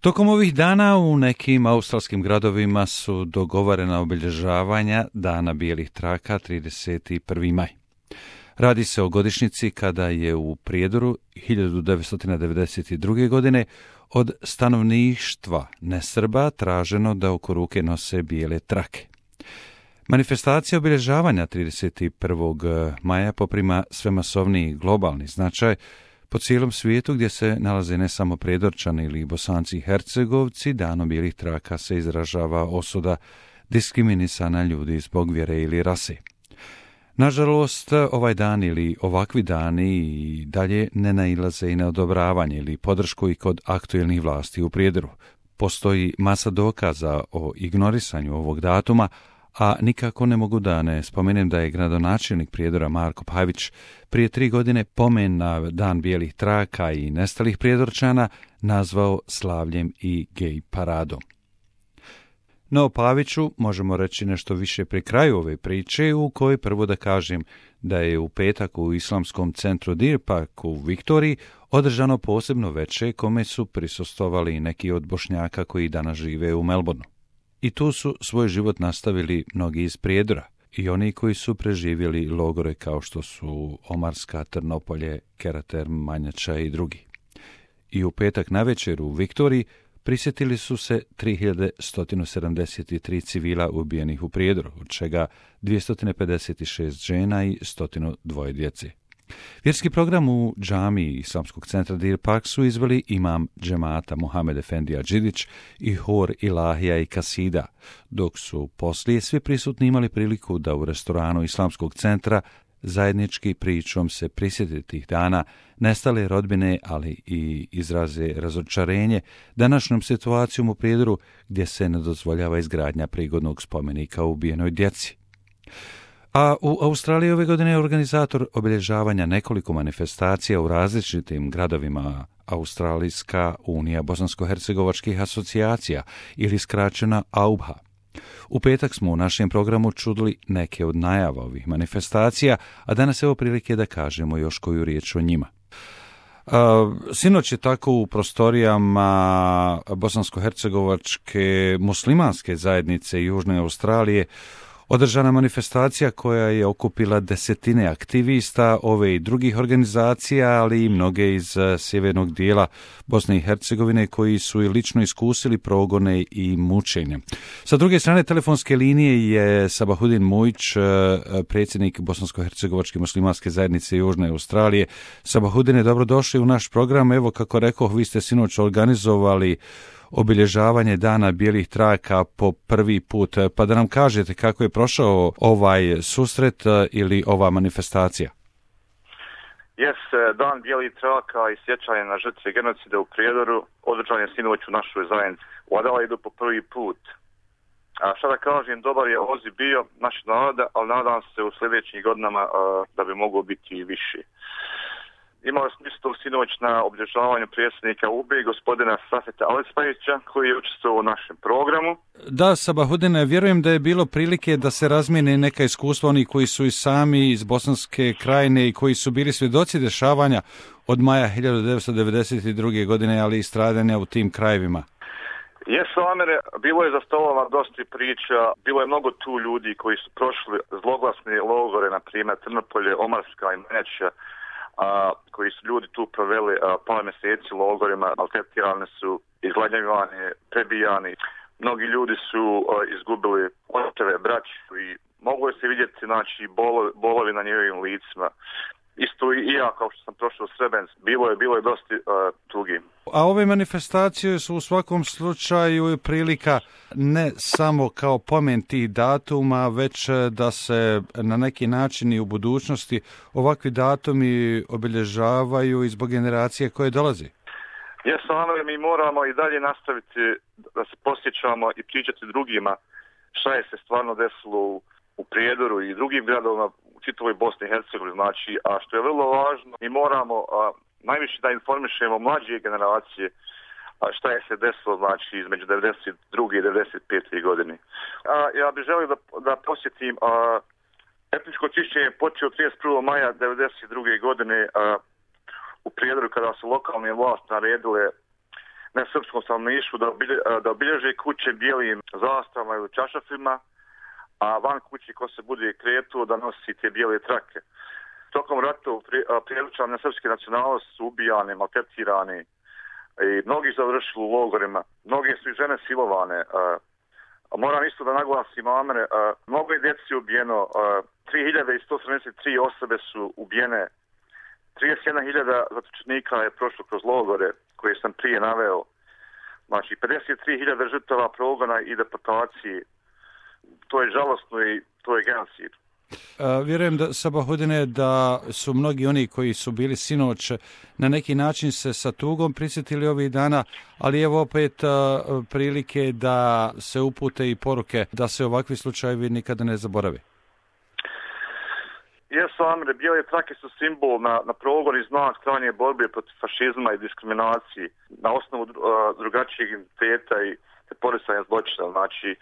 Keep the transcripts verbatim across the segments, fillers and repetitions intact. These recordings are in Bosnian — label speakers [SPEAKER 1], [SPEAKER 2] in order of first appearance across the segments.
[SPEAKER 1] Tokom ovih dana u nekim australskim gradovima su dogovorena obilježavanja Dana bijelih traka trideset prvi maj. Radi se o godišnjici kada je u Prijedoru hiljadu devetsto devedeset druge. godine od stanovništva nesrba traženo da oko ruke nose bijele trake. Manifestacija obilježavanja trideset prvog maja poprima sve masovniji globalni značaj po cijelom svijetu, gdje se nalaze ne samo Prijedorčani ili Bosanci i Hercegovci. Danom bijelih traka se izražava osuda diskriminisana ljudi zbog vjere ili rase. Nažalost, ovaj dan ili ovakvi dani i dalje ne nailaze i na odobravanje ili podršku i kod aktuelnih vlasti u Prijedoru. Postoji masa dokaza o ignorisanju ovog datuma, a nikako ne mogu da ne spomenem da je gradonačelnik Prijedora Marko Pavić prije tri godine pomen na Dan bijelih traka i nestalih Prijedorčana nazvao slavljem i gej paradom. No, Paviću možemo reći nešto više pri kraju ove priče, u kojoj prvo da kažem da je u petak u islamskom centru Deer Park u Viktoriji održano posebno veče kome su prisustvovali neki od Bošnjaka koji danas žive u Melbourneu. I tu su svoj život nastavili mnogi iz Prijedora i oni koji su preživjeli logore kao što su Omarska, Trnopolje, Kerater, Manjača i drugi. I u petak navečer u Viktoriji prisjetili su se tri hiljade sto sedamdeset tri civila ubijenih u Prijedoru, od čega dvjesto pedeset šest žena i sto dva djece. Vjerski program u džamiji islamskog centra Deer Park su izveli imam džemata Mohamed Efendija Đidić i hor Ilahija i Kasida, dok su poslije svi prisutni imali priliku da u restoranu islamskog centra zajednički pričom se prisjeti tih dana nestale rodbine, ali i izraze razočarenje današnjom situacijom u Prijedoru gdje se ne dozvoljava izgradnja prigodnog spomenika ubijenoj djeci. A u Australiji ove godine je organizator obilježavanja nekoliko manifestacija u različitim gradovima Australijska unija bosansko-hercegovačkih asocijacija ili skraćena A U B H A. U petak smo u našem programu čuli neke od najava ovih manifestacija, a danas evo prilike da kažemo još koju riječ o njima. A, sinoć je tako u prostorijama bosansko-hercegovačke muslimanske zajednice Južne Australije održana manifestacija koja je okupila desetine aktivista ove i drugih organizacija, ali i mnoge iz sjevernog dijela Bosne i Hercegovine koji su i lično iskusili progone i mučenje. Sa druge strane telefonske linije je Sabahudin Mujić, predsjednik Bosansko-hercegovačke muslimanske zajednice Južne Australije. Sabahudine, dobrodošli u naš program. Evo, kako rekoh, vi ste sinoć organizovali obilježavanje Dana bijelih traka po prvi put, pa da nam kažete kako je prošao ovaj susret ili ova manifestacija.
[SPEAKER 2] Jes, Dan bijelih traka i sjećanje na žrtve genocida u Prijedoru održan je sinoć u našoj zajednici u Adelaidu po prvi put. A šta da kažem, dobar je odziv bio našeg naroda, ali nadam se u sljedećim godinama a, da bi moglo biti i više. Imali smo isto sinoć na obilježavanju predsjednika U B I, gospodina Safeta Alispajića, koji je učestvovao u našem programu.
[SPEAKER 1] Da, Sabahudine, vjerujem da je bilo prilike da se razmijene neka iskustva oni koji su i sami iz Bosanske krajine i koji su bili svjedoci dešavanja od maja hiljadu devetsto devedeset druge. godine, ali i stradanja u tim krajevima.
[SPEAKER 2] Jesu, Amere, bilo je za stolova dosta priča, bilo je mnogo tu ljudi koji su prošli zloglasne logore, na primjer Trnopolje, Omarska i Manjača, a, koji su ljudi tu proveli a, par mjeseci u logorima, maltretirani su, izgladnjavani, prebijani. Mnogi ljudi su a, izgubili očeve, braću i moglo je se vidjeti, znači, bolo, bolovi na njihovim licima. Isto i ja, kao što sam prošao u Srebrenicu, bilo je, bilo je dosta uh, tugi.
[SPEAKER 1] A ove manifestacije su u svakom slučaju prilika ne samo kao pomen tih datuma, već da se na neki način i u budućnosti ovakvi datumi obilježavaju i zbog generacije koje dolazi.
[SPEAKER 2] Jesam, ali mi moramo i dalje nastaviti da se posjećamo i pričati drugima šta je se stvarno desilo u, u Prijedoru i drugim gradovima u čitavoj Bosni i Hercegovini, znači, a što je vrlo važno, mi moramo a, najviše da informišemo mlađe generacije a, šta je se desilo, znači, između devedeset druge i devedeset pete godine. A, ja bih želio da, da posjetim a, etničko čišćenje je počeo trideset prvog maja devedeset druge. godine a, u Prijedoru, kada su lokalne vlasti naredile nesrpskom stanovništvu da, obilje, da obilježe kuće bijelim zastavama ili čašafima, a van kući ko se bude kretuo da nosi te bijele trake. Tokom rata prijeličani srpske nacionalnosti su ubijani, maltretirani i mnogi završili u logorima. Mnogi su i žene silovane. A moram isto da naglasim, Amere, mnogo je djeci ubijeno, tri hiljade sto sedamdeset tri osobe su ubijene, trideset jedna hiljada zatočenika je prošlo kroz logore koje sam prije naveo. Znači, pedeset tri hiljade žrtava progona i deportacije. To je žalostno i to je genocid.
[SPEAKER 1] Uh, vjerujem da, Sabahudine, da su mnogi oni koji su bili sinoć na neki način se sa tugom prisjetili ovih dana, ali evo opet uh, prilike da se upute i poruke da se ovakvi slučajevi nikada ne zaborave.
[SPEAKER 2] Jesu, Amre, bijele trake su simbol na, na progon i znak trajne borbe protiv fašizma i diskriminacije na osnovu uh, drugačijeg identiteta i teporisanja zločina. Znači,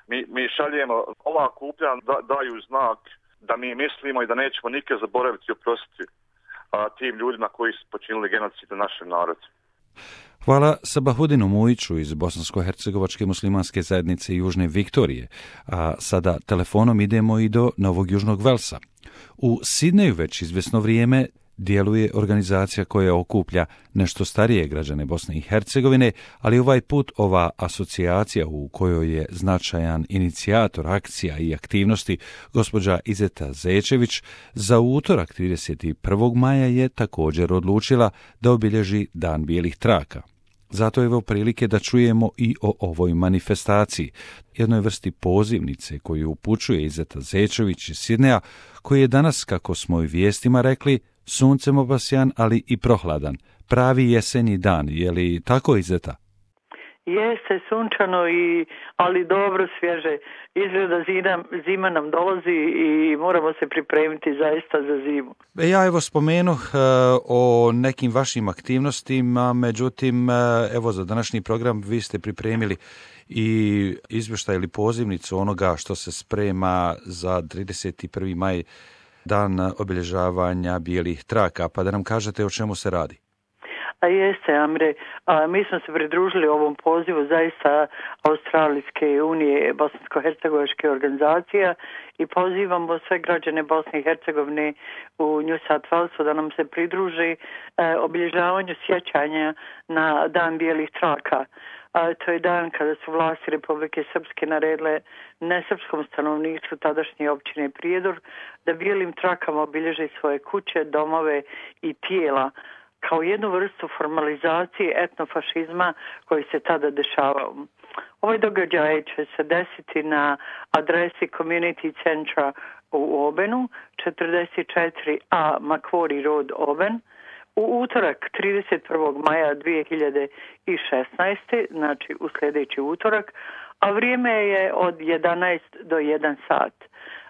[SPEAKER 2] Mi, mi šaljemo, ova kuplja da, daju znak da mi mislimo i da nećemo nikad zaboraviti i oprostiti a, tim ljudima koji su počinili genocid na našem narodu.
[SPEAKER 1] Hvala Sabahudinu Mujiću iz Bosansko-hercegovačke muslimanske zajednice Južne Viktorije. A sada telefonom idemo i do Novog Južnog Velsa. U Sidneju već izvjesno vrijeme djeluje organizacija koja okuplja nešto starije građane Bosne i Hercegovine, ali ovaj put ova asocijacija u kojoj je značajan inicijator akcija i aktivnosti gospođa Izeta Zečević za utorak trideset prvog maja je također odlučila da obilježi Dan bijelih traka. Zato je evo prilike da čujemo i o ovoj manifestaciji, jednoj vrsti pozivnice koju upućuje Izeta Zečević iz Sidneja, koji je danas, kako smo i vijestima rekli, suncem obasjan, ali i prohladan. Pravi jesenji dan, je li tako, Izeta?
[SPEAKER 3] Jeste sunčano, i, ali dobro svježe. Izgleda zima, zima nam dolazi i moramo se pripremiti zaista za zimu.
[SPEAKER 1] Ja evo spomenuh uh, o nekim vašim aktivnostima, međutim, uh, evo za današnji program vi ste pripremili i izvještaj ili pozivnicu onoga što se sprema za trideset prvi maj, dan obilježavanja bijelih traka, pa da nam kažete o čemu se radi.
[SPEAKER 3] A jeste, Amre, a, mi smo se pridružili ovom pozivu zaista Australijske unije, Bosansko-hercegovačke organizacija, i pozivamo sve građane Bosne i Hercegovine u New South Walesu da nam se pridruži e, obilježavanju sjećanja na Dan bijelih traka. A, to je dan kada su vlasti Republike Srpske naredile nesrpskom stanovništvu tadašnje općine Prijedor da bijelim trakama obilježe svoje kuće, domove i tijela, kao jednu vrstu formalizacije etnofašizma koji se tada dešavao. Ovaj događaj će se desiti na adresi Community Centra u Obenu, četrdeset četiri A Macquarie Road, Oben, u utorak trideset prvog maja dvije hiljade šesnaeste. znači u sljedeći utorak, a vrijeme je od jedanaest do jedan sat.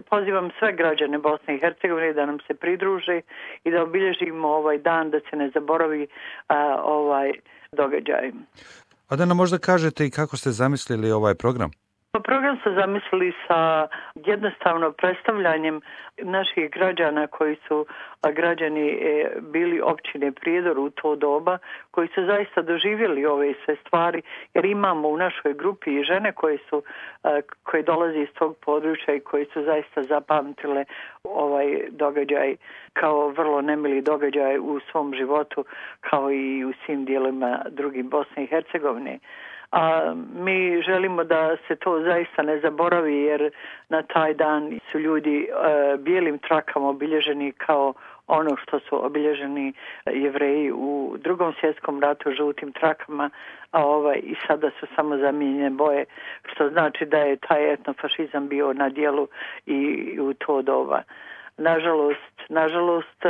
[SPEAKER 3] Pozivam sve građane Bosne i Hercegovine da nam se pridruže i da obilježimo ovaj dan, da se ne zaboravi a, ovaj događaj.
[SPEAKER 1] A da nam možda kažete i kako ste zamislili ovaj program?
[SPEAKER 3] Program su zamislili sa jednostavno predstavljanjem naših građana koji su građani bili općine Prijedor u to doba, koji su zaista doživjeli ove sve stvari, jer imamo u našoj grupi i žene koje su koje dolaze iz tog područja i koji su zaista zapamtile ovaj događaj kao vrlo nemili događaj u svom životu, kao i u svim dijelovima drugim Bosne i Hercegovine. A mi želimo da se to zaista ne zaboravi, jer na taj dan su ljudi e, bijelim trakama obilježeni kao ono što su obilježeni Jevreji u Drugom svjetskom ratu žutim trakama, a ovaj i sada su samo zamijenjene boje, što znači da je taj etnofašizam bio na djelu i u to doba. Nažalost, nažalost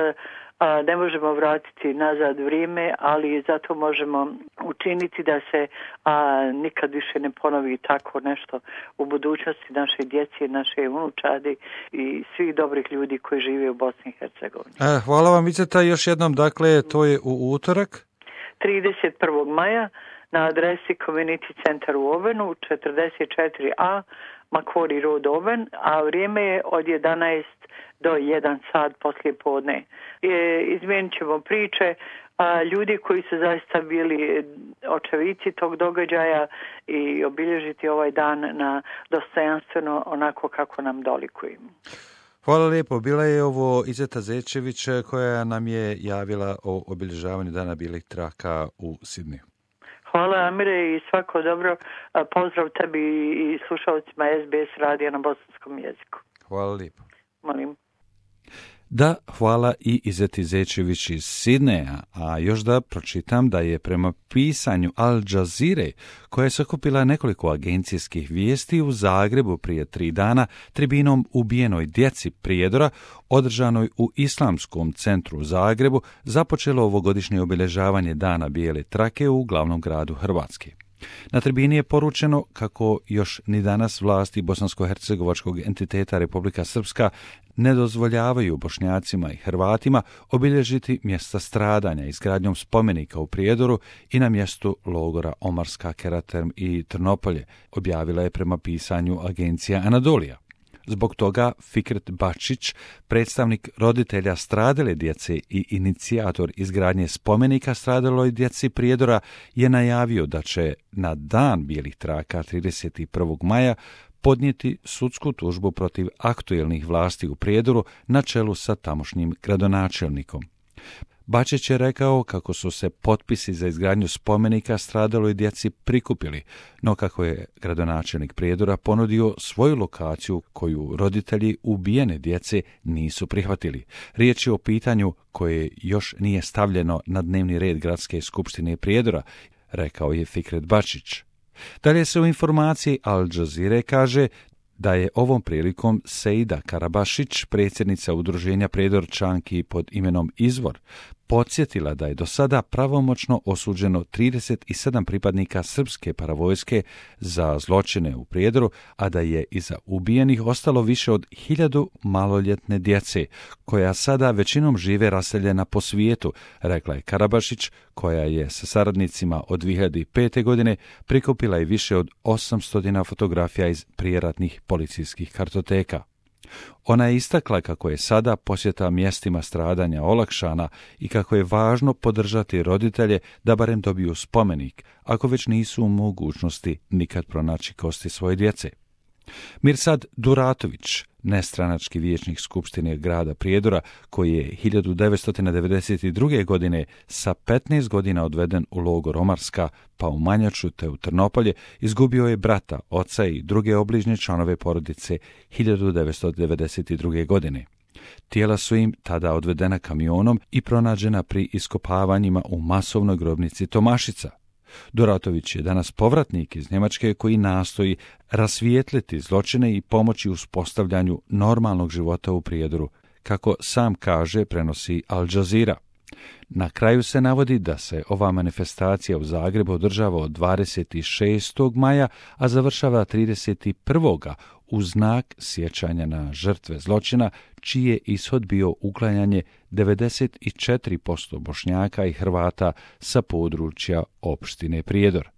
[SPEAKER 3] a, ne možemo vratiti nazad vrijeme, ali zato možemo učiniti da se a, nikad više ne ponovi tako nešto u budućnosti naše djece, naše unučadi i svih dobrih ljudi koji žive u Bosni i Hercegovini.
[SPEAKER 1] E, hvala vam, Izeta, još jednom, dakle, to je u utorak?
[SPEAKER 3] trideset prvog maja na adresi Community Centar u Ovenu, četrdeset četiri A Macquarie Road, Oven, a vrijeme je od jedanaest do jedan sat poslije podne. E, izmijenit ćemo priče, a, ljudi koji su zaista bili očevici tog događaja i obilježiti ovaj dan na dostojanstveno onako kako nam dolikuje.
[SPEAKER 1] Hvala lijepo. Bila je ovo Izeta Zečević koja nam je javila o obilježavanju Dana bijelih traka u Sidneju.
[SPEAKER 3] Hvala Amire i svako dobro. Pozdrav tebi i slušalcima S B S radija na bosanskom jeziku.
[SPEAKER 1] Hvala lijepo.
[SPEAKER 3] Molim.
[SPEAKER 1] Da, hvala i Izeti Zečević iz Sidneja, a još da pročitam da je prema pisanju Al Jazeere, koja je sakupila nekoliko agencijskih vijesti u Zagrebu prije tri dana, tribinom ubijenoj djeci prijedora, održanoj u Islamskom centru u Zagrebu, započelo ovogodišnje obilježavanje Dana bijele trake u glavnom gradu Hrvatske. Na tribini je poručeno kako još ni danas vlasti bosansko-hercegovačkog entiteta Republika Srpska ne dozvoljavaju Bošnjacima i Hrvatima obilježiti mjesta stradanja izgradnjom spomenika u Prijedoru i na mjestu logora Omarska, Keraterm i Trnopolje, objavila je prema pisanju agencija Anadolija. Zbog toga Fikret Bačić, predstavnik roditelja stradale djece i inicijator izgradnje spomenika stradaloj djeci Prijedora, je najavio da će na Dan bijelih traka trideset prvog maja podnijeti sudsku tužbu protiv aktuelnih vlasti u Prijedoru na čelu sa tamošnjim gradonačelnikom. Bačić je rekao kako su se potpisi za izgradnju spomenika stradaloj djeci prikupili, no kako je gradonačelnik Prijedora ponudio svoju lokaciju koju roditelji ubijene djece nisu prihvatili. Riječ je o pitanju koje još nije stavljeno na dnevni red Gradske skupštine Prijedora, rekao je Fikret Bačić. Dalje se u informaciji Al Jazeere kaže da je ovom prilikom Seida Karabašić, predsjednica udruženja Prijedorčanki pod imenom Izvor, podsjetila da je do sada pravomoćno osuđeno trideset sedam pripadnika srpske paravojske za zločine u Prijedoru, a da je iza ubijenih ostalo više od hiljadu maloljetne djece, koja sada većinom žive raseljena po svijetu, rekla je Karabašić, koja je sa saradnicima od dvije hiljade pete. godine prikupila i više od osamsto fotografija iz prijeratnih policijskih kartoteka. Ona je istakla kako je sada posjeta mjestima stradanja olakšana i kako je važno podržati roditelje da barem dobiju spomenik, ako već nisu u mogućnosti nikad pronaći kosti svoje djece. Mirsad Duratović, nestranački vijećnik Skupštine grada Prijedora, koji je hiljadu devetsto devedeset druge. godine sa petnaest godina odveden u logor Omarska, pa u Manjaču te u Trnopolje, izgubio je brata, oca i druge obližnje članove porodice hiljadu devetsto devedeset druge. godine. Tijela su im tada odvedena kamionom i pronađena pri iskopavanjima u masovnoj grobnici Tomašica. Duratović je danas povratnik iz Njemačke koji nastoji rasvijetliti zločine i pomoći uspostavljanju normalnog života u Prijedoru, kako sam kaže, prenosi Al Jazeera. Na kraju se navodi da se ova manifestacija u Zagrebu održava od dvadeset šestog maja, a završava trideset prvog u znak sjećanja na žrtve zločina, čiji je ishod bio uklanjanje devedeset četiri posto Bošnjaka i Hrvata sa područja opštine Prijedor.